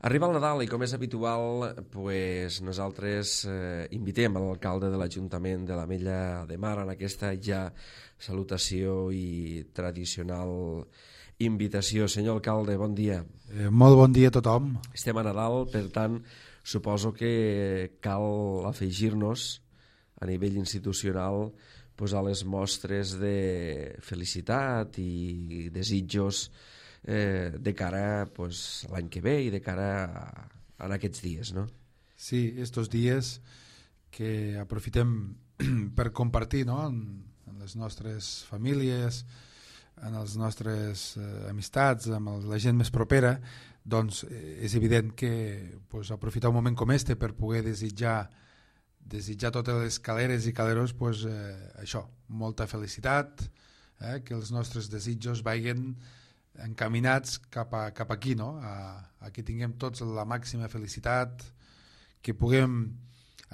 Arriba el Nadal i, com és habitual, nosaltres invitem a l'alcalde de l'Ajuntament de l'Ametlla de Mar en aquesta ja salutació i tradicional invitació. Senyor alcalde, bon dia. Molt bon dia a tothom. Estem a Nadal, per tant, suposo que cal afegir-nos a nivell institucional a les mostres de felicitat i desitjos de cara a l'any que ve i de cara a aquests dies, no? Sí, estos dies que aprofitem per compartir, no?, en les nostres famílies, en les nostres amistats, amb la gent més propera, doncs és evident que aprofitar un moment com este per poder desitjar totes les caleres i caleros, això, molta felicitat, que els nostres desitjos vagin encaminats cap aquí, no? A que tinguem tots la màxima felicitat, que puguem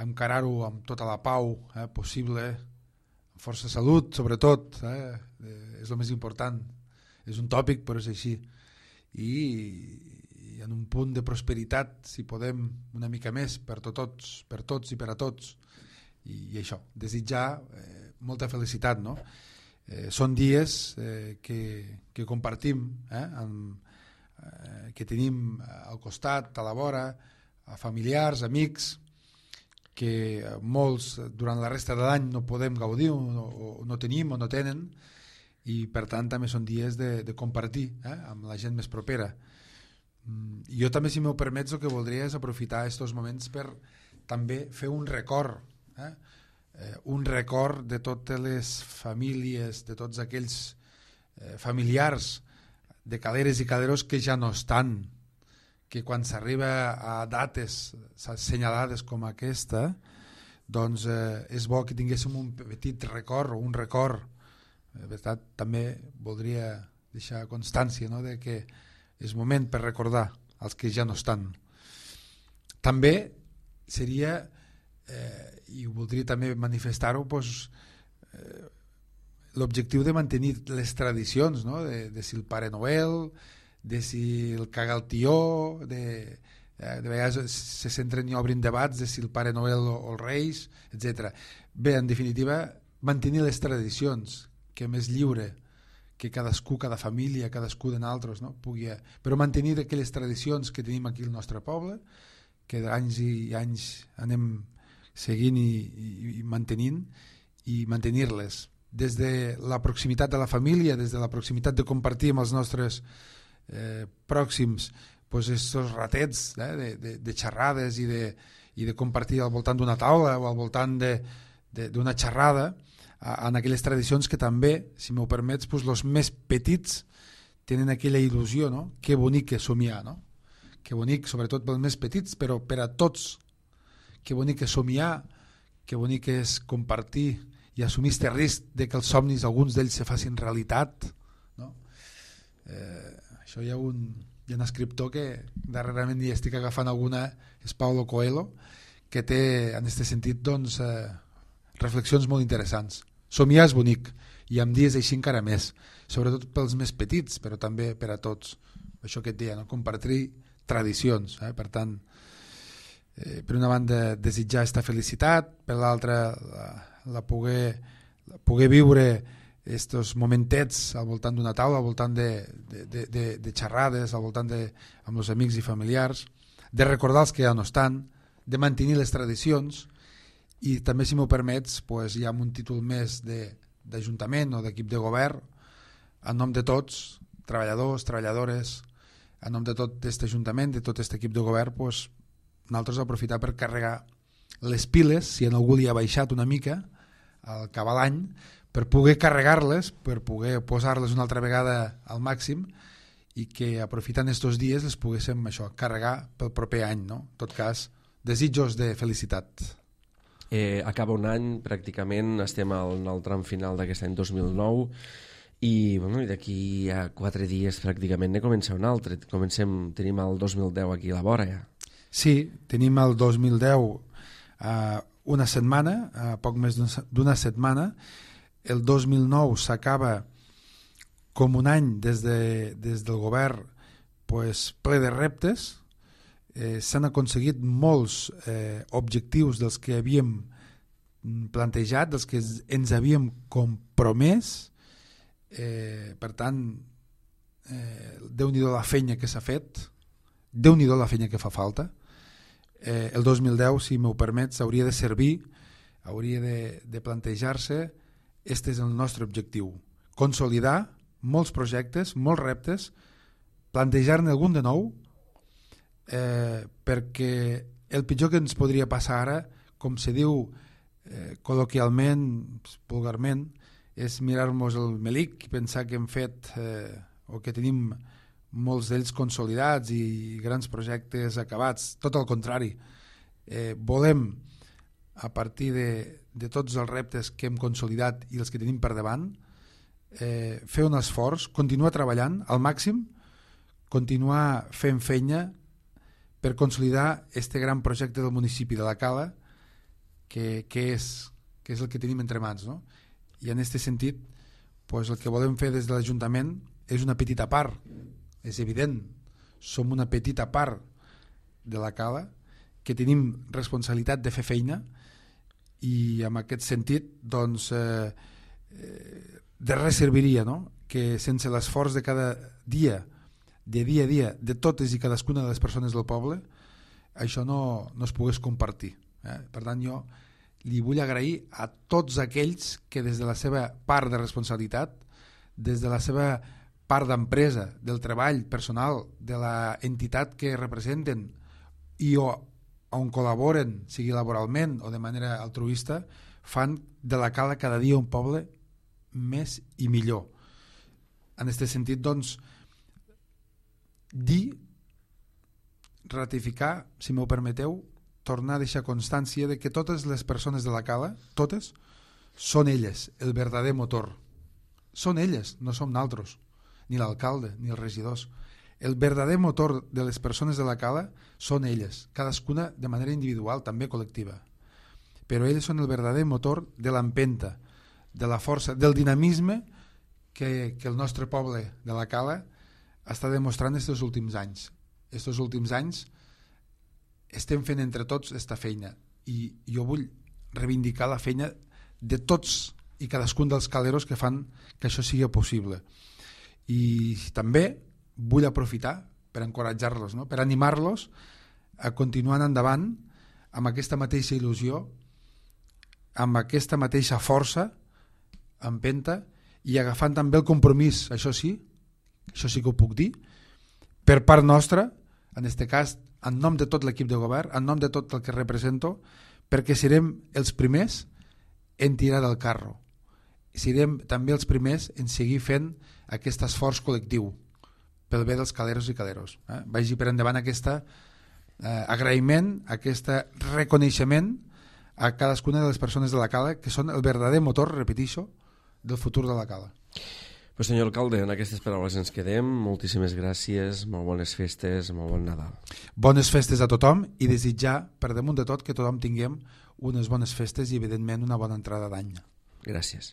encarar-ho amb tota la pau possible, amb força salut, sobretot, és el més important. És un tòpic, però és així. I en un punt de prosperitat, si podem, una mica més per tots i per a tots. I això, desitjar molta felicitat, no? Són dies que compartim, que tenim al costat, a la vora, a familiars, amics, que molts durant la resta de l'any no podem gaudir o no tenim o no tenen, i per tant també són dies de compartir amb la gent més propera. Jo també, si m'ho permets, el que voldria és aprofitar aquests moments per també fer un record, un record de totes les famílies, de tots aquells familiars de caleres i caleros que ja no estan, que quan s'arriba a dates assenyalades com aquesta, doncs és bo que tinguéssim un petit record o un record. De veritat, també voldria deixar constància, no?, de que és moment per recordar els que ja no estan. També seria, i voldria també manifestar-ho, l'objectiu de mantenir les tradicions, no?, de si el Pare Noel, de si el caga el tió, de vegades se centren i obrin debats de si el Pare Noel o els Reis, etc. Bé, en definitiva, mantenir les tradicions, que més lliure, que cadascú, cada família, cadascú de nosaltres, no?, pugui, però mantenir aquelles tradicions que tenim aquí al nostre poble, que d'anys i anys anem seguint i mantenint, i mantenir-les des de la proximitat de la família, des de la proximitat de compartir amb els nostres pròxims estos ratets de xerrades i de compartir al voltant d'una taula o al voltant d'una xerrada, en aquelles tradicions que també, si m'ho permets, els més petits tenen aquella il·lusió, no? Que bonic és somiar, no? Que bonic, sobretot pels més petits, però per a tots. Que bonic és somiar, que bonic és compartir i assumir este risc de que els somnis, alguns d'ells, se facin realitat, no? Això hi ha un escriptor que darrerament hi estic agafant alguna, és Paulo Coelho, que té en aquest sentit doncs reflexions molt interessants. Somiar és bonic, i amb dies així encara més, sobretot pels més petits, però també per a tots. Això que et deia, no? Compartir tradicions. Per tant, per una banda, desitjar aquesta felicitat, per l'altra, poder viure aquests momentets al voltant d'una taula, al voltant de xerrades, al voltant amb els amics i familiars, de recordar els que ja no estan, de mantenir les tradicions. I també, si m'ho permets, hi ha un títol més d'Ajuntament o d'equip de govern, en nom de tots, treballadors, treballadores, en nom de tot aquest Ajuntament, de tot aquest equip de govern, nosaltres aprofitar per carregar les piles, si en algú li ha baixat una mica al acabar l'any, per poder carregar-les, per poder posar-les una altra vegada al màxim, i que aprofitant aquests dies les poguéssim carregar pel proper any, no? En tot cas, desitjos de felicitat. Acaba un any, pràcticament estem en el tram final d'aquest any 2009 i d'aquí a 4 dies pràcticament ne comença un altre. Tenim el 2010 aquí a la vora ja. Sí, tenim el 2010 una setmana, poc més d'una setmana. El 2009 s'acaba com un any des del govern ple de reptes, s'han aconseguit molts objectius dels que havíem plantejat, dels que ens havíem compromès. Per tant, Déu-n'hi-do la feina que s'ha fet, Déu-n'hi-do la feina que fa falta. El 2010, si m'ho permets, hauria de servir, hauria de plantejar-se, este és el nostre objectiu, consolidar molts projectes, molts reptes, plantejar-ne algun de nou, perquè el pitjor que ens podria passar ara, com se diu col·loquialment, vulgarment, és mirar-nos el melic i pensar que hem fet o que tenim molts d'ells consolidats i grans projectes acabats. Tot el contrari, volem, a partir de tots els reptes que hem consolidat i els que tenim per davant, fer un esforç, continuar treballant al màxim, continuar fent feina per consolidar este gran projecte del municipi de la Cala, que és el que tenim entre mans, no? I en aquest sentit, pues, el que volem fer des de l'Ajuntament és una petita part, és evident, som una petita part de la Cala, que tenim responsabilitat de fer feina, i en aquest sentit, doncs, de res serviria, no? Que sense l'esforç de cada dia, de dia a dia, de totes i cadascuna de les persones del poble, això no es pogués compartir. Per tant, jo li vull agrair a tots aquells que des de la seva part de responsabilitat, des de la seva part d'empresa, del treball personal, de la entitat que representen i on col·laboren, sigui laboralment o de manera altruista, fan de la Cala cada dia un poble més i millor. En aquest sentit, doncs, ratificar, si m'ho permeteu, tornar a deixar constància de que totes les persones de la Cala, totes, són elles, el verdader motor. Són elles, no som naltros, ni l'alcalde, ni els regidors. El verdader motor de les persones de la Cala són elles, cadascuna de manera individual, també col·lectiva. Però elles són el verdader motor de l'empenta, de la força, del dinamisme que el nostre poble de la Cala està demostrant aquests últims anys. Aquests últims anys estem fent entre tots aquesta feina i jo vull reivindicar la feina de tots i cadascun dels caleros que fan que això sigui possible. I també vull aprofitar per encoratjar-los, no? Per animar-los a continuar endavant amb aquesta mateixa il·lusió, amb aquesta mateixa força, empenta, i agafant també el compromís, això sí que ho puc dir, per part nostra, en aquest cas, en nom de tot l'equip de govern, en nom de tot el que represento, perquè serem els primers en tirar del carro. Serem també els primers en seguir fent aquest esforç col·lectiu pel bé dels caleros i caleros. Vagi per endavant aquest agraïment, aquest reconeixement a cadascuna de les persones de la Cala, que són el verdader motor, repeteixo, del futur de la Cala. Pues senyor alcalde, en aquestes paraules ens quedem. Moltíssimes gràcies, molt bones festes, molt bon Nadal. Bones festes a tothom i desitjar, per damunt de tot, que tothom tinguem unes bones festes i, evidentment, una bona entrada d'any. Gràcies.